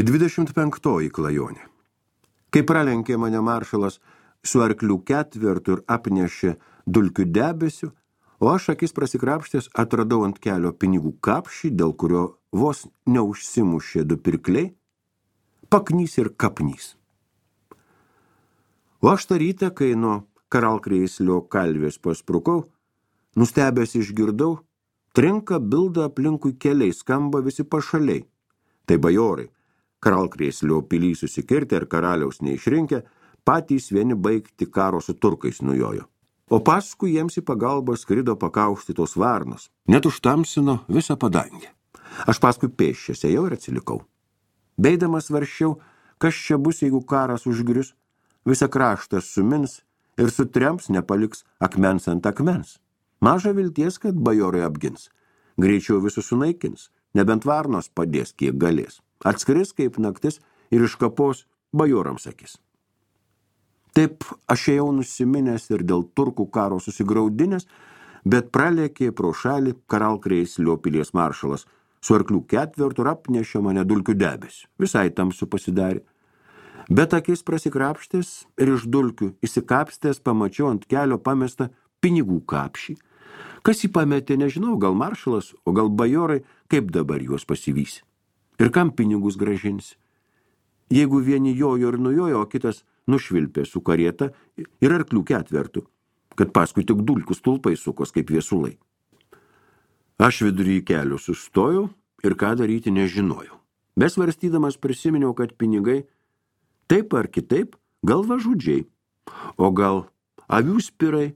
25 klajonė. Kai pralenkė mane maršalas su arklių ketvertu ir apnešė dulkių debesiu, o aš akis prasikrapštęs atradau ant kelio pinigų kapšį, dėl kurio vos neužsimušė du pirkliai, paknys ir kapnys. O aš tą rytą, kai nuo Karalkrėslio kalvės pasprukau, nustebęs išgirdau, trinka bilda aplinkui keliai, skamba visi pašaliai. Tai bajorai, Karalkrėslio pilį susikirtę ir karaliaus neišrinkę, patys vieni baigti karo su turkais nujojo. O paskui jiems į pagalbą skrido pakauštytos varnos, net užtamsino visą padangę. Aš paskui pėsčias ėjau ir atsilikau. Beidamas varščiau, kas čia bus, jeigu karas užgrius, visą kraštą sumins ir sutrems nepaliks akmens ant akmens. Maža vilties, kad bajorai apgins. Greičiau visus sunaikins, nebent varnos padės, kiek galės. Atskris kaip naktis ir iškapos bajorams akis. Taip aš ėjau nusiminęs ir dėl turkų karo susigraudinęs, bet pralėkė pro šalį Karalkrėslio pilies maršalas su arklių ketvertu ir apnešė mane dulkių debesiu. Visai tamsu pasidarė. Bet akis prasikrapštęs ir iš dulkių įsikapstęs pamačiau ant kelio pamestą pinigų kapšį. Kas jį pametė, nežinau, gal maršalas, o gal bajorai, kaip dabar juos pasivysi. Ir kam pinigus grąžinsi? Jeigu vieni jojo ir nujojo, o kitas nušvilpė su karieta ir arklių ketvertu, kad paskui tik dulkių stulpai sukos kaip viesulai. Aš vidury kelio sustojau ir ką daryti nežinojau. Besvarstydamas prisiminiau, kad pinigai taip ar kitaip gal važudžiai, o gal avių spirai.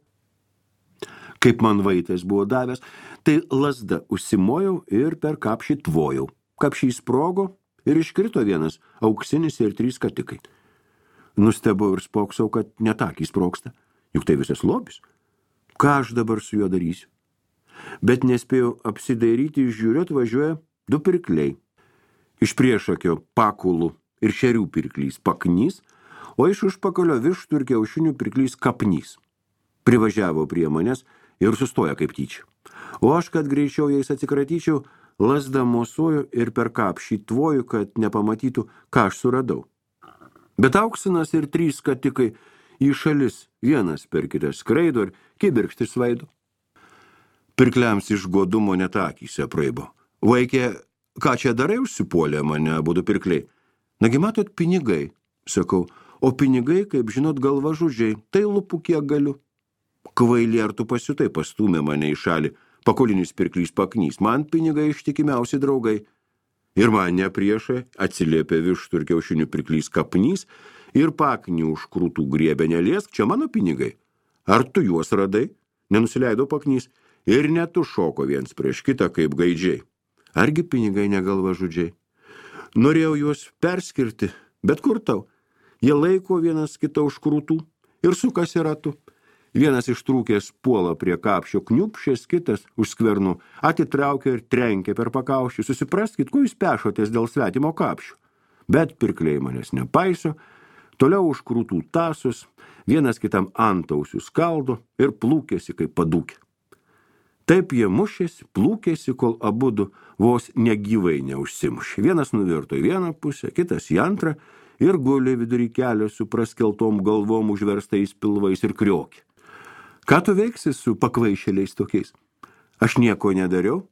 Kaip man vaitas buvo davęs, tai lazda užsimojau ir per kapšį tvojau. Kapšį sprogo ir iškrito vienas auksinis ir 3 skatikai. Nustebau ir spoksau, kad netakį sproksta, juk tai visas lobis. Ką aš dabar su juo darysiu? Bet nespėjau apsidairyti, žiūriu, atvažiuoja 2 pirkliai. Iš priešakio pakulų ir šerių pirklys paknys, o iš užpakalio vištų ir kiaušinių pirklys kapnys. Privažiavo prie manęs ir sustoja kaip tyčia. O aš, kad greičiau jais atsikratyčiau, lazda mosuoju ir per kapšį tvoju, kad nepamatytų, ką aš suradau. Bet auksinas ir 3 skatikai į šalis, vienas per kitą skraido ir kibirkšti svaido. Pirkliams iš godumo net akyse praibo. Vaikė, ką čia darai, užsipuolė mane abudu pirkliai. Nagi matot, pinigai, sakau, o pinigai, kaip žinot, galvažudžiai, tai lupu kiek galiu. Kvailė, ar tu pasiutai, pastūmė mane į šalį, pakolinis pirklys paknys, man pinigai ištikimiausi draugai. Ir man nepriešai atsiliepė vištų ir kiaušinių pirklys kapnys ir paknį už krūtų griebė, neliesk, čia mano pinigai. Ar tu juos radai? Nenusileido paknys ir netu šoko viens prieš kitą kaip gaidžiai. Argi pinigai negalvažudžiai? Norėjau juos perskirti, bet kur tau? Jie laiko vienas kitą už krūtų ir sukasi ratu. Vienas ištrūkęs puola prie kapšio kniupšės, kitas už skvernų atitraukia ir trenkia per pakaušį. Susipraskit, ko jūs pešotės dėl svetimo kapšio. Bet pirkliai manęs nepaiso, toliau už krūtų tasus, vienas kitam antausių skaldo ir plūkėsi kaip padūkė. Taip jie mušėsi, plūkėsi, kol abudu vos negyvai neužsimušė. Vienas nuvirto į vieną pusę, kitas į antrą ir gulė vidury kelio su praskeltom galvom užverstais pilvais ir kriokė. Ką tu veiksi su pakvaišėliais tokiais? Aš nieko nedariau,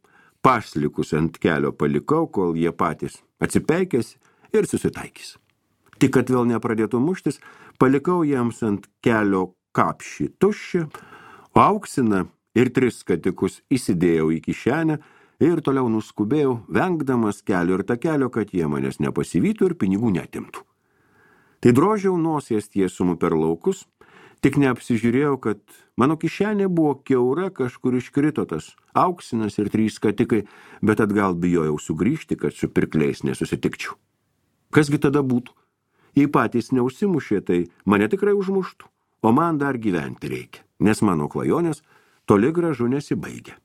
paslikus ant kelio palikau, kol jie patys atsipeikėsi ir susitaikys. Tik kad vėl nepradėtų muštis, palikau jiems ant kelio kapšį tuščią, o auksiną ir 3 skatikus įsidėjau į kišenę ir toliau nuskubėjau, vengdamas kelio ir takelio, kad jie manęs nepasivytų ir pinigų netimtų. Tai drožiau nosies tiesumu per laukus, tik neapsižiūrėjau, kad mano kišenė buvo kiaura, kažkur iškrito tas auksinas ir 3 skatikai, bet atgal bijojau sugrįžti, kad su pirkliais nesusitikčiau. Kasgi tada būtų? Jei patys neužsimušė, tai mane tikrai užmuštų, o man dar gyventi reikia, nes mano klajonės toli gražu nesibaigia.